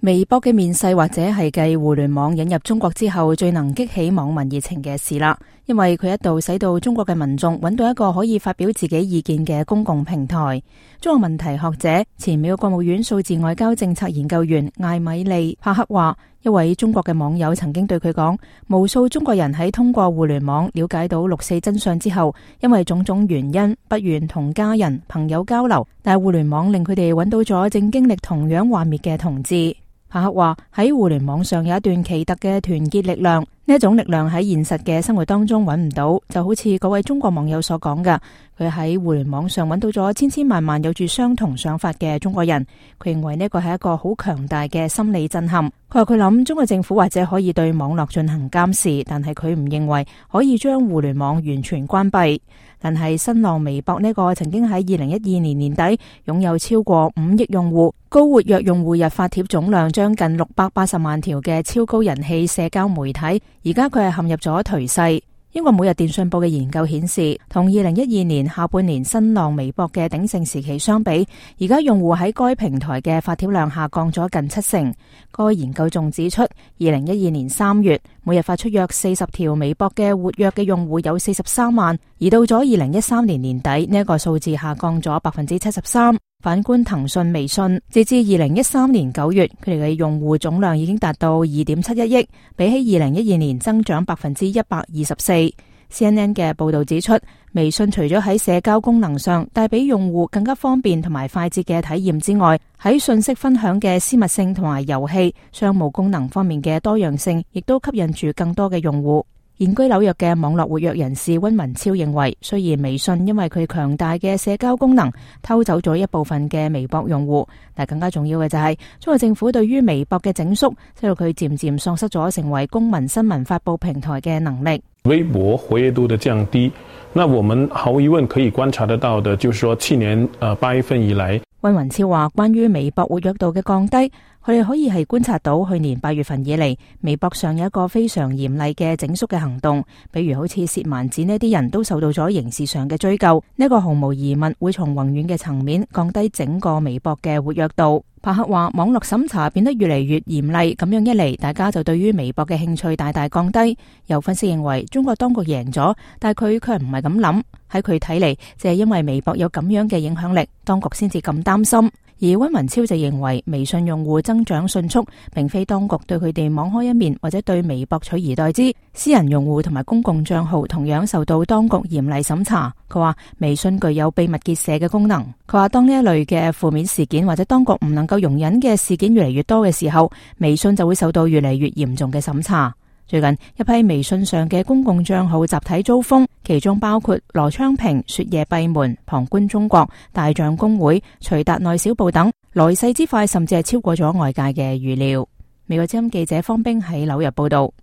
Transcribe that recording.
微博嘅面世或者係繼互聯網引入中國之後最能激起網民熱情嘅事啦，因為佢一度使到中國嘅民眾揾到一個可以發表自己意見嘅公共平台。中國問題學者、前美國國務院數字外交政策研究員艾米利·帕克話，一位中國嘅網友曾經對佢講，無數中國人喺通過互聯網了解到六四真相之後，因為種種原因不願同家人、朋友交流，但係互聯網令佢哋揾到咗正經歷同樣幻滅嘅同志。帕克話，喺互聯網上有一段奇特嘅團結力量，呢一種力量喺現實嘅生活當中揾唔到，就好似嗰位中國網友所講嘅，佢喺互聯網上揾到咗千千萬萬有住相同想法嘅中國人，佢認為呢個係一個好強大嘅心理震撼。佢話佢諗中國政府或者可以對網絡進行監視，但係佢唔認為可以將互聯網完全關閉。但係新浪微博呢個曾經喺2012年年底擁有超過5億用戶、高活躍用戶日發帖總量將近680萬條嘅超高人氣社交媒體，而家佢係陷入咗頹勢。英國每日電訊報嘅研究顯示，同2012年下半年新浪微博嘅鼎盛時期相比，而家用戶喺該平台嘅發帖量下降咗近70%。該研究仲指出，2012年3月，每日發出約40條微博嘅活躍嘅用戶有43萬，而到咗2013年年底，呢一個數字下降咗73%。反觀騰訊微信，截至2013年9月，佢哋嘅用戶總量已經達到2.71億，比起2012年增長124%。CNN 嘅報道指出，微信除咗喺社交功能上帶俾用戶更加方便同埋快捷嘅體驗之外，喺信息分享嘅私密性同埋遊戲、商務功能方面嘅多樣性，亦都吸引住更多嘅用戶。現居紐約嘅網絡活躍人士溫文超認為，雖然微信因為佢強大嘅社交功能偷走咗一部分嘅微博用戶，但更加重要嘅就係中國政府對於微博嘅整肅，使到佢漸漸喪失咗成為公民新聞發佈平台嘅能力。微博活躍度的降低，那我們毫無疑問可以觀察得到的，就是說去年8月份以來，溫文超話，關於微博活躍度嘅降低，佢哋可以係觀察到去年8月份以嚟，微博上有一個非常嚴厲嘅整肅嘅行動，比如好似薛蠻子呢啲人都受到咗刑事上嘅追究，呢個毫無疑問會從宏遠嘅層面降低整個微博嘅活躍度。帕克話，網絡審查變得越嚟越嚴厲，咁樣一嚟，大家就對於微博嘅興趣大大降低。有分析認為，中國當局贏咗，但係佢卻唔係咁諗。喺佢睇嚟，就係因為微博有咁樣嘅影響力，當局先至咁擔心。而溫文超就認為，微信用戶增長迅速，並非當局對佢哋網開一面，或者對微博取而代之。私人用戶同埋公共賬號同樣受到當局嚴厲審查。佢話微信具有秘密結社嘅功能。佢話當呢一類嘅負面事件或者當局唔能夠容忍嘅事件越嚟越多嘅時候，微信就會受到越嚟越嚴重嘅審查。最近一批微信上嘅公共賬號集體遭封，其中包括羅昌平、雪夜閉門、旁觀中國、大象公會、徐達內小報等，來勢之快甚至係超過咗外界嘅預料。美國之音記者方冰喺紐約報道。